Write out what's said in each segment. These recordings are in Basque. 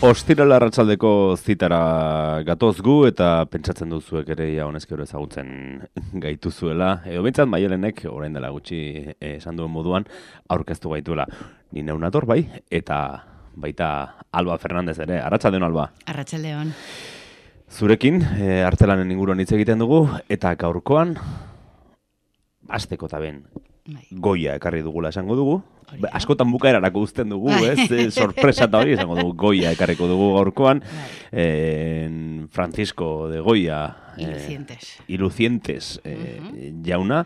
Ostiral arratsaldeko zitara gatoz gu eta pentsatzen duzuek ere ja honezkero ezagutzen gaituzuela. Edo behintzat Maialenek orain dela gutxi esan duen moduan aurkeztu gaituela. Ni neu nator bai, eta baita Alba Fernandez ere. Arratsaldeon Alba. Arratsaldeon. Zurekin artelanen inguruan hitz egiten dugu eta gaurkoan hasteko ta ben goia ekarri dugula esango dugu. Askotan bukaerarako uzten dugu, ez? Sorpresa eta hori esango dugu, goia ekarriko dugu gaurkoan. Francisco de Goya Ilucientes jauna,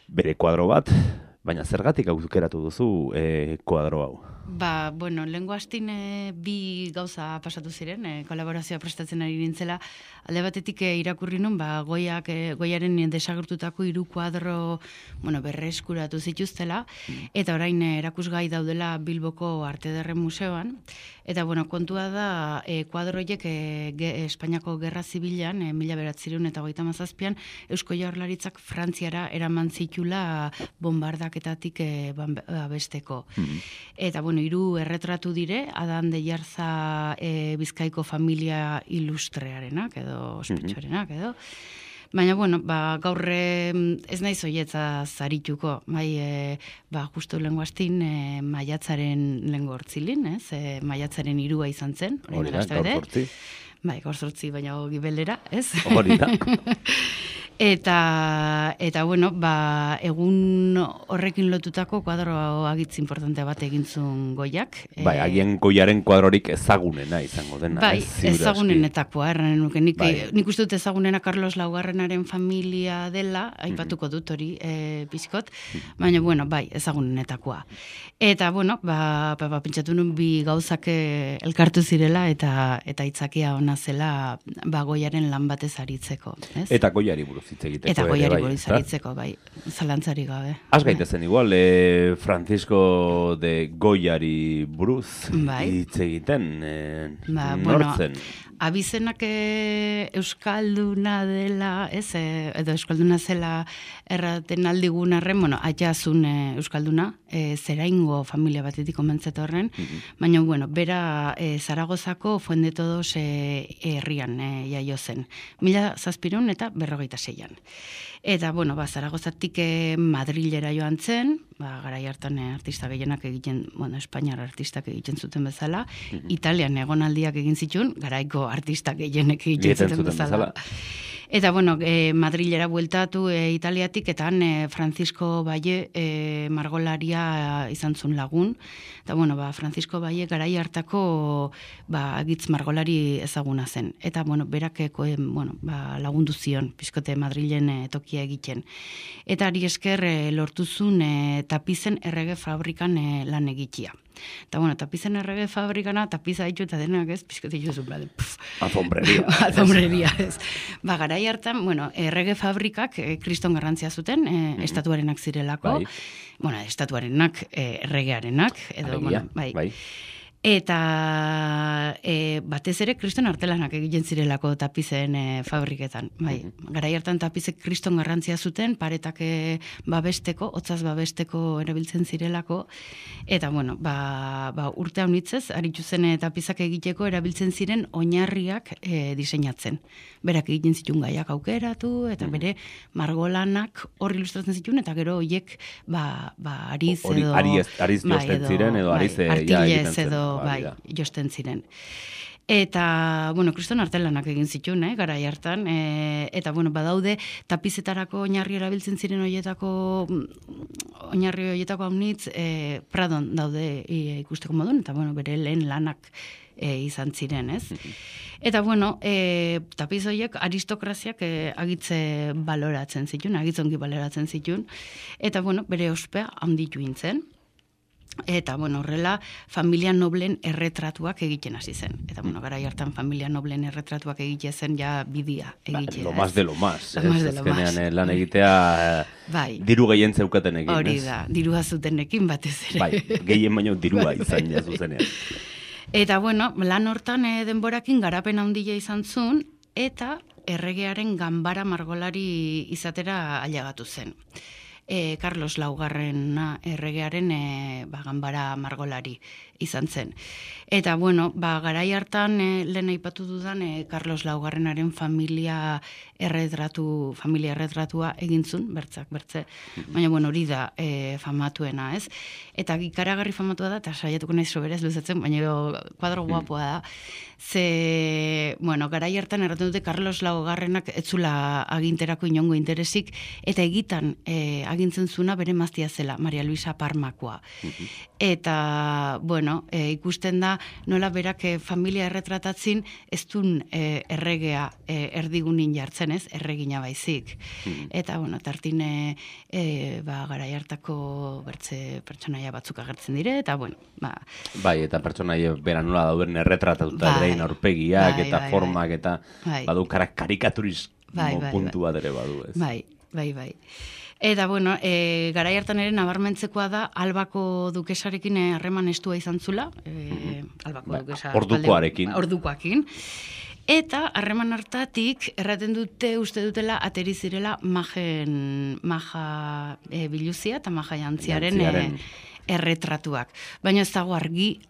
bere kuadro bat, baina zergatik aukeratu duzu kuadro hau? Lehengo astin bi gauza pasatu ziren, kolaborazioa prestatzen ari nintzela. Alde batetik irakurri nun, Goiaren desagertutako 3 kuadro berreskuratu zituztela, eta orain erakusgai daudela Bilboko Arte Ederren Museoan. Eta kontua da, kuadro horiek Espainiako Gerra Zibilan, 1937an, Eusko Jaurlaritzak Frantziara eraman zitula bombardaketatik babesteko. Eta 3 erretratu dire, Adan de Jarza Bizkaiko familia ilustrearenak edo ospetsuarenak edo. Baina, gaur ez naiz hoietza zarituko, justu lehengo astin maiatzaren lehengo hortzilin, maiatzaren 3 izan zen. Hori da, gaur zortzi. Gaur zortzi, baina gibelera, ez? Hori da. Eta egun horrekin lotutako kuadro agitz importante bat egintzun Goiak. Agian Goiaren kuadrorik ezagunena izango dena. Ezagunenetakoa, erranen nuke. Nik uste dut ezagunena Carlos Laugarrenaren familia dela, aipatuko dut hori pixkot, baina, ezagunenetakoa. Eta, pentsatu nun bi gauzak elkartu zirela eta itzakia ona zela Goiaren lan batez aritzeko. Eta Goiari buruz hitz egiteko. Eta Goiari buruz aritzeko, zalantzari gabe. Az gaitezen igual, Francisco de Goiari buruz hitz egiten, nortzen? Abizenak euskalduna dela, edo euskalduna zela erraten aldigun arren, atxazun euskalduna, zeraingo familia batetik omentzeta horren, baina, bera Zaragozako Fuendetodos herrian jaio zen. 1700 eta 46an. Eta, Zaragozatik Madrilera joan zen, garai hartan artista gehienak egiten, Espainiar artistak egiten zuten bezala, Italian egonaldiak egin zituen, garaiko artistak gehienek egiten zuten bezala. Eta, Madrilera bueltatu Italiatik, eta han Francisco Valle margolaria izan zuen lagun. Eta, Francisco Valle garai hartako agitz margolari ezaguna zen. Eta, berak lagundu zion, pizkote Madrilen tokia egiten. Eta ari esker lortuzun tapizen errege fabrikan lan egitea. Eta, tapizen errege fabrikana, tapiza ditu eta denak ez, pizkote jozu, alfombreria. Alfombreria, ez. Garai hartan, errege fabrikak kriston garrantzia zuten, estatuarenak zirelako. Estatuarenak, erregearenak, edo, bai. Eta batez ere kriston artelanak egiten zirelako tapizen fabriketan. Garai hartan tapizek kriston garrantzia zuten, paretak babesteko, hotzaz babesteko erabiltzen zirelako, eta urte haunitzez, aritu zen tapizak egiteko erabiltzen ziren oinarriak diseinatzen. Berak egiten zituen gaiak aukeratu, eta bere margolanak hor ilustratzen zituen, eta gero horiek ariz edo... Ariz josten ziren, edo ariz egiten zen. Josten ziren. Eta, kriston artelanak egin zituen, garai hartan, eta, badaude tapizetarako oinarri erabiltzen ziren oinarri horietako haunitz, Pradon daude ikusteko modun, eta, bere lehen lanak izan ziren, ez? Eta, tapiz horiek aristokraziak agitze baloratzen zituen, agitzongi baloratzen zituen, eta, bere ospea handitu intzen. Eta, horrela, familia noblen erretratuak egiten hasi zen. Eta, garai hartan familia noblen erretratuak egiten zen ja bidia egitea. Lo más de lo más. Azkenean lan egitea diru gehien zeukatenekin. Hori da, dirua zutenekin batez ere. Gehien baino dirua izan jazuzenean. Eta, lan hortan denborakin garapen handia izan zuen, eta erregearen ganbara margolari izatera ailegatu zen. Carlos Laugarren erregearen ganbara margolari izan zen. Eta, bueno, garai hartan, lehen aipatu dudan, Carlos Laugarrenaren familia erretratua egintzun, bertze. Baina, bueno, hori da famatuena, ez? Eta ikaragarri famatua da, eta saiatuko naiz soberez luzatzen, baina kuadro guapoa da. Ze, bueno, garai hartan erraten dute Carlos Laugarrenak etzula aginterako inongo interesik, eta egitan agintzen zuna bere maztia zela, Maria Luisa Parmakoa. Eta, bueno, ikusten da, nola berak familia erretratatzin ez dun erregea erdigunin jartzen, ez? Erregina baizik. Eta, bueno, tartine garai hartako bertze pertsonaia batzuk agertzen dire, eta, bueno, Bai, eta pertsonaia bera nola dauden erretratatuta ere aurpegiak eta formak eta badu karikaturismo puntu bat ere badu, ez? Bai. Eta, bueno, garai hartan ere nabarmentzekoa da Albako dukesarekin harreman estua izan zula. Albako dukesa... Ordukoarekin. Eta harreman hartatik erraten dute, uste dutela, ateri zirela maja biluzia eta maja jantziaren erretratuak. Baina ez dago argi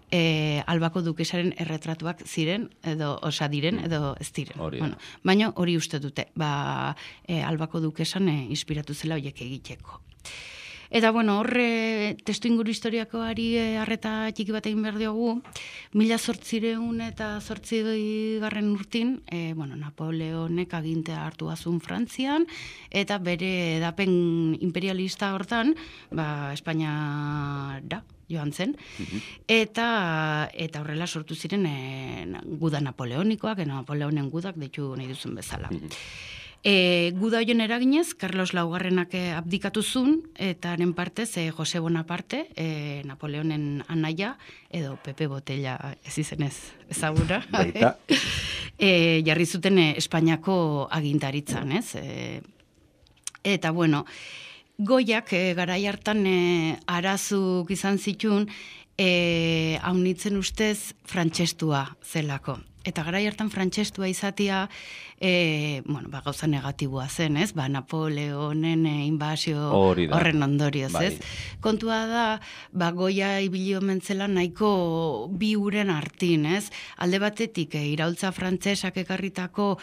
Albako dukesaren erretratuak ziren, edo ez diren. Bueno, baina hori uste dute, Albako dukesan inspiratu zela horiek egiteko. Eta, bueno, horre testu inguru historiakoari arreta txiki bat egin behar diogu, 1808 urtin, Napoleonek agintea hartu azun Frantzian, eta bere edapen imperialista hortan, Espainiara joan zen, eta horrela sortu ziren guda napoleonikoak, Napoleonen gudak deitu nahi duzun bezala. Guda hoien eraginez, Carlos Laugarrenak abdikatu zuen, eta haren partez, Jose Bonaparte, Napoleonen anaia, edo Pepe Botella ez izenez ezagura, jarri zuten Espainiako agintaritzan, ez? Eta, bueno, Goiak garai hartan arazuk izan zituen, haunitzen ustez frantsestua zelako. Eta garai hartan frantsestua izatea, gauza negatiboa zen, ez? Napoleonen inbasio horren ondorioz, ez? Kontua da, Goia ibili omen zela nahiko bi uren artin, ez? Alde batetik, iraultza frantsesak ekarritako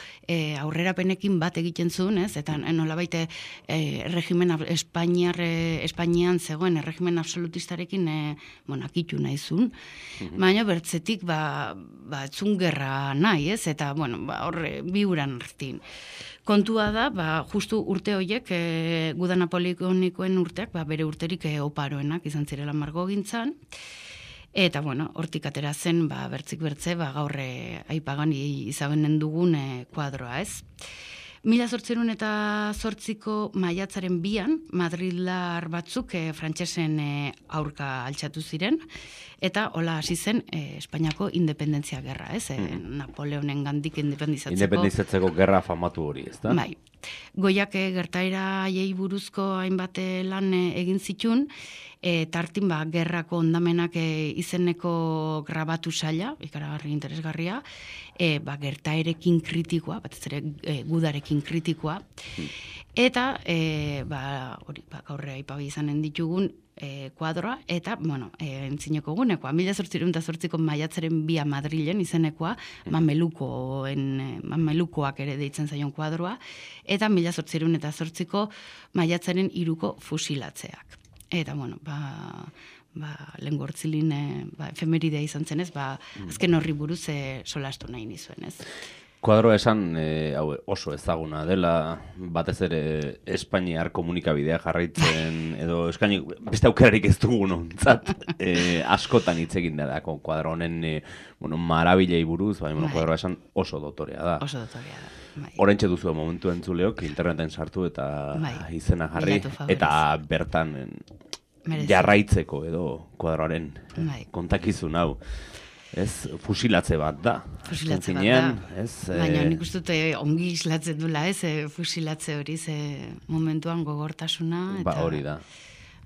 aurrerapenekin bat egiten zuen, ez? Eta nolabait regimen Espainian zegoen regimen absolutistarekin akitu nahi zuen. Baina bertzetik, etzun gerra nahi, ez? Eta, horre, bi uran artin. Kontua da, justu urte horiek, guda napoleonikoen urteak, bere urterik oparoenak izan zirela margogintzan, eta, hortik atera zen, bertzik bertze, gaur aipagan izanen dugun kuadroa, ez? 1808ko maiatzaren 2an, Madridlar batzuk frantsesen aurka altxatu ziren, eta hola hasi zen Espainiako independentzia gerra, ez? Napoleonen gandik independizatzeko gerra famatu hori, ez da? Bai. Goiak gertaera haiei buruzko hainbat lan egin zitun, tartin gerrako ondamenak izeneko grabatu saila, ikaragarri interesgarria, gertaerekin kritikoa, batez ere gudarekin kritikoa, eta gaur aipagai izanen ditugun kuadroa, eta, entzineko gunekoa, 1808ko maiatzaren 2 Madrilen izenekoa, mamelukoak ere deitzen zaion kuadroa, eta 1808ko maiatzaren 3ko fusilatzeak. Eta, lehen gortzilin efemeridea izan zenez, azken horri buruz solastu nahi nizuen, ez? Kuadroa esan oso ezaguna dela, batez ere Espainiar komunikabidea jarraitzen, edo eskaini beste aukerarik ez dugun ontzat, askotan hitz egin da kuadro honen marabilei buruz, kuadroa esan oso dotorea da. Oso dotorea da. Oraintxe duzu momentu entzuleok, interneten sartu eta izena jarri, eta bertan jarraitzeko edo kuadroaren kontakizun hau. Ez, fusilatze bat da. Fusilatze bat da. Baina nik uste dute ongi islatzen dula, ez, fusilatze hori, momentuan gogortasuna. Hori da.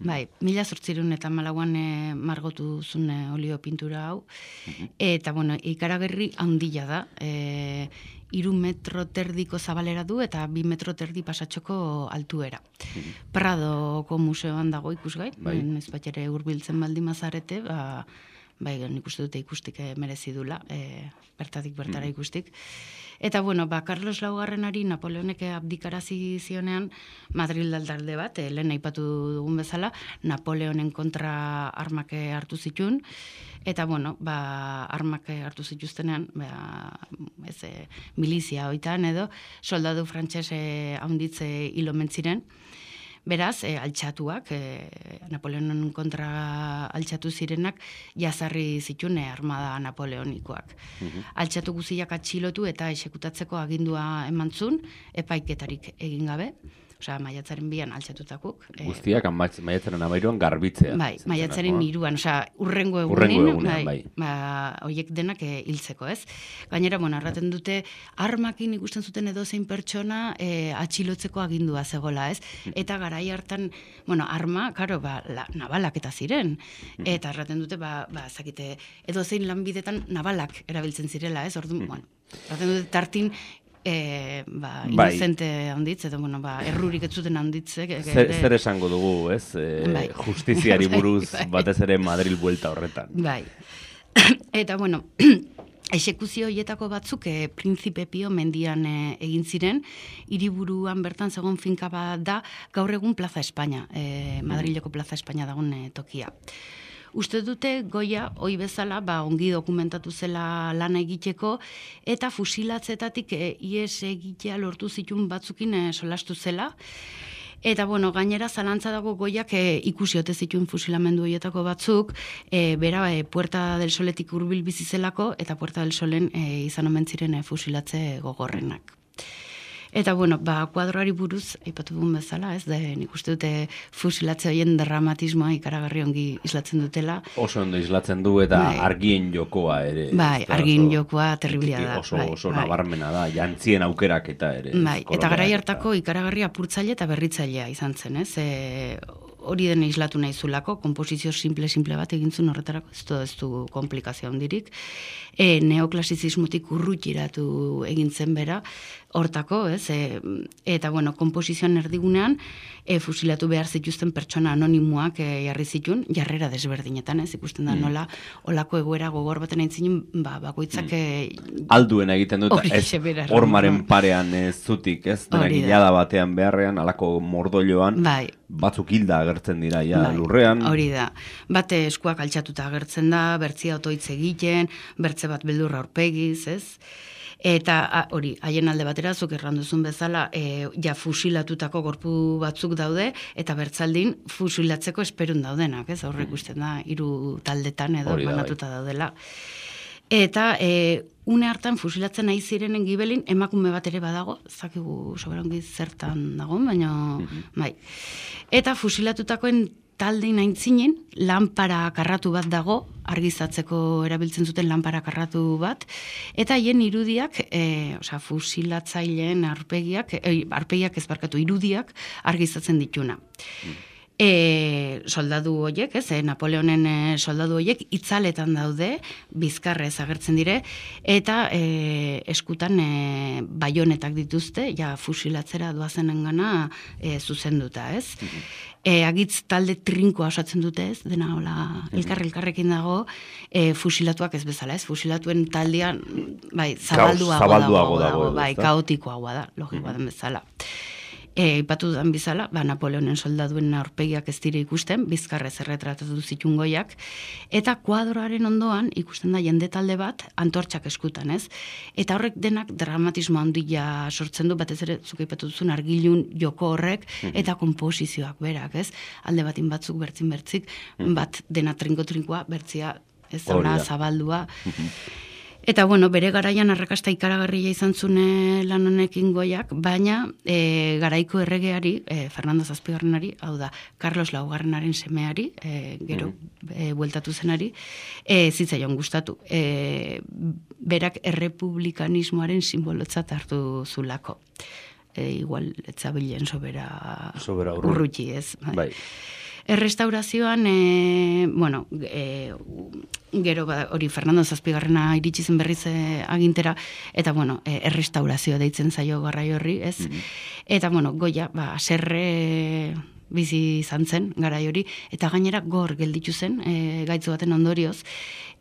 Bai, 1804an margotu zuen olio pintura hau, eta, ikaragarri handia da, 3 metro terdiko zabalera du eta 2 metro terdi pasatxoko altuera. Pradoko museoan dago ikusgai, ez bat ere hurbiltzen baldin mazarete, bai, nik uste dute ikustik merezi dula, bertatik bertara ikustik. Eta, bueno, Carlos Laugarrenari Napoleonek abdikarazi zionean, Madrid talde bat, lehen aipatu dugun bezala, Napoleonen kontra armak hartu zituen, eta, bueno, armak hartu zituztenean, milizia hoitan edo, soldadu frantses haunditze hil omen ziren. Beraz, altxatuak, Napoleonen kontra altxatu zirenak, jazarri zituen armada napoleonikoak. Altxatu guziak atxilotu eta esekutatzeko agindua emantzun, epaiketarik egin gabe. Osea, maiatzaren 2an altxatutakuk. Guztiak maiatzaren 13an garbitzea. Bai, maiatzaren 3an, osea, urrengo egunean, bai. Hoiek denak hiltzeko, ez? Gainera, bueno, arraten dute, armakin ikusten zuten edozein pertsona atxilotzeko agindua zegola, ez? Eta garai hartan, bueno, arma, karo, nabalak eta ziren. Eta arraten dute, zakite, edozein lanbidetan nabalak erabiltzen zirela, ez? Orduan, bueno, arraten dute tartin, inocente handitz, edo, bueno, errurik ez zuten handitze. Zer esango dugu, ez? Justiziari buruz, batez ere Madril buelta horretan. Bai. Eta, bueno, exekuzio hietako batzuk Príncipe Pio mendian egin ziren, hiriburuan bertan zegoen finka bat da, gaur egun Plaza España, Madrileko Plaza España dagoen tokia. Uste dute Goya, hoi bezala, ongi dokumentatu zela lana egiteko, eta fusilatzetatik ies egitea lortu zituen batzukin solastu zela. Eta, bueno, gainera zalantza dago Goiak ikusi ote zituen fusilamendu horietako batzuk, bera Puerta del Soletik hurbil bizi zelako, eta Puerta del Solen izan omen ziren fusilatze gogorrenak. Eta, bueno, kuadroari buruz, aipatu dugun bezala, ez, nik uste dute fusilatze horien dramatismoa ikaragarri ongi islatzen dutela. Oso ondo islatzen du eta argien jokoa ere. Bai, argien jokoa terriblia da. Oso nabarmena da, jantzien aukerak eta ere. Bai, eta garai hartako ikaragarri apurtzaile eta berritzailea izan zen, ez? Hori dena islatu nahi zulako, komposizio simple bat egintzun horretarako, ez du komplikazio handirik. Neoklasizismotik urrutiratu egintzen bera, hortako, ez? Eta, bueno, komposizioan erdigunean, fusilatu behar zituzten pertsona anonimoak jarri zituen, jarrera desberdinetan, ez? Ikusten da nola, olako egoera gogor baten aintzinen, bakoitzak... Alduena egiten dut, ez hormaren parean zutik, ez? Dena gilada batean beharrean, alako mordoioan, batzuk hilda agertzen dira, lurrean. Hori da. Bate eskuak altxatuta agertzen da, bertzia otoitz egiten, bertze bat beldurra aurpegiz, ez? Eta hori, haien alde batera, zuk erranduzun bezala, fusilatutako gorpu batzuk daude, eta bertzaldin fusilatzeko esperun daudenak, ez? Horrek usten da, 3 taldetan edo banatuta daudela. Eta une hartan fusilatzen nahi zirenen gibelin, emakume bat ere badago, zakigu soberongi zertan dago, baina bai. Eta fusilatutakoen taldein aintzinen, lanpara karratu bat dago, argizatzeko erabiltzen zuten lanpara karratu bat, eta haien irudiak, fusilatzaileen arpegiak irudiak argizatzen dituna. Soldadu horiek, Napoleonen soldadu horiek itzaletan daude, bizkarrez agertzen dire, eta eskutan baionetak dituzte, fusilatzera doazenengana zuzenduta, ez? Agitz talde trinkoa osatzen dute, ez? Dena hola elkarrekin dago, fusilatuak ez bezala, ez? Fusilatuen taldean, zabalduago dago, kaotikoagoa da, logikoa den bezala. Ipatu dudan bizala, Napoleonen soldaduen aurpegiak ez dire ikusten, bizkarrez erretratatu zituen Goiak, eta kuadroaren ondoan ikusten da jende talde bat antortxak eskutan, ez? Eta horrek denak dramatismo handia sortzen du, batez ere, zuk ipatu duzun argilun joko horrek, eta komposizioak berak, ez? Alde batin batzuk bertzik, bat dena trinko-trinkoa, bertzia ez zauna zabaldua. Eta, bueno, bere garaian arrakasta ikaragarria izan zune lan honekin Goiak, baina garaiko erregeari, Fernando Zazpigarrenari, hau da, Carlos Laugarrenaren semeari, gero, bueltatu zenari, zitzaion gustatu. Berak errepublikanismoaren simbolotzat hartu zulako. Igual, etzabilen sobera urruti, ez? Bai. Errestaurazioan, gero hori Fernando Zazpigarrena iritsi zen berriz agintera, eta, errestaurazioa deitzen zaio garrai horri, ez? Eta, Goya, bizi izan zen, garai hori, eta gainera gor gelditu zen, gaitzu baten ondorioz,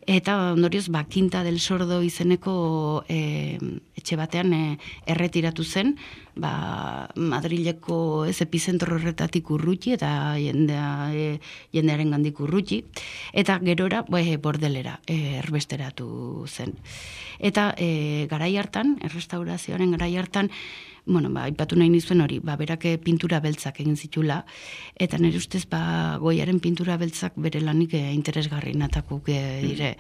eta ondorioz, Quinta del Sordo izeneko etxe batean erretiratu zen, Madrileko ez epizentro horretatik urruti, eta jendearen gandik urruti, eta gerora bordelera erbesteratu zen. Eta garai hartan, errestaurazioaren garai hartan, aipatu nahi nizuen hori, berak pintura beltzak egin zitula, eta nire ustez, Goiaren pintura beltzak bere lanik interesgarri natakuk dire.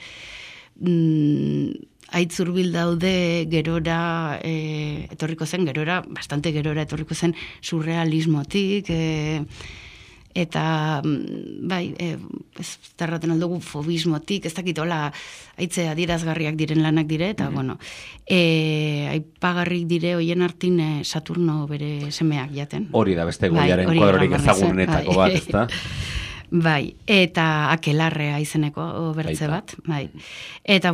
Aitzurbil daude gerora, bastante gerora etorriko zen surrealismotik, eta ez tarraten aldugu fobismotik, ez dakit hola aitze adierazgarriak diren lanak dire, eta aipagarrik dire hoien hartin Saturno bere semeak jaten. Hori da beste Goiaren kuadrorik ezagunenetako bat, ezta? Bai, eta Akelarrea izeneko bertze bat, bai. Eta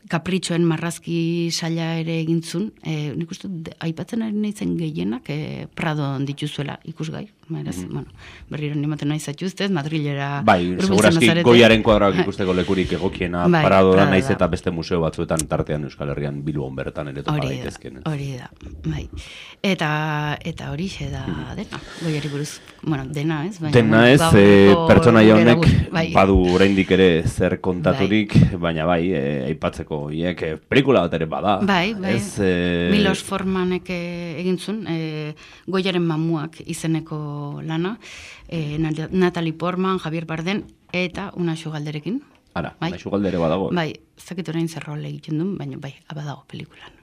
Kapritxoen marrazki saila ere egintzun, nik uste aipatzen ari nahizen gehienak Pradon dituzuela ikusgai. Berriro nimaten nahi zatuztez, Madrilera... Bai, segurazki Goiaren kuadroak ikusteko lekurik egokiena Prado da naiz eta beste museo batzuetan tartean Euskal Herrian Bilbon bertan ere topa daitezken. Hori da, bai. Eta hori da dena, Goiari buruz, dena ez? Dena ez, pertsonaia honek badu oraindik ere zer kontaturik, baina aipatzeko hiek pelikula bat ere bada. Bai. Milos Formanek egintzun, Goiaren mamuak izeneko lana, Natalie Portman, Javier Bardem, eta Unaxu Galderekin. Ara, Unaxu Galdere badago. Bai, zakit orain zer rol egiten duen, baina badago pelikulan.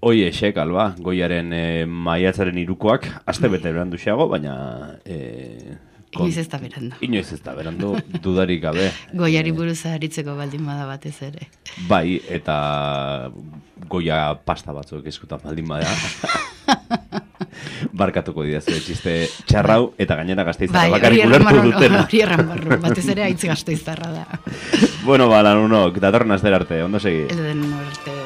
Hoiexek, alba, Goiaren maiatzaren 3koak, aste bete berandu xeago, baina... Inoiz ez da berandu. Inoiz ez da berandu, dudarik gabe. Goiari buruz aritzeko baldin bada batez ere. Bai, eta Goia pasta batzuk eskutan baldin bada. Barkatuko didazu txiste txarrau, eta gainera Gasteiztarra bakarrik ulertu dutena. Hori erranbarru, batez ere aitz Gasteiztarra da. Lanunok, datorren astera arte, ondo segi? Elden arte.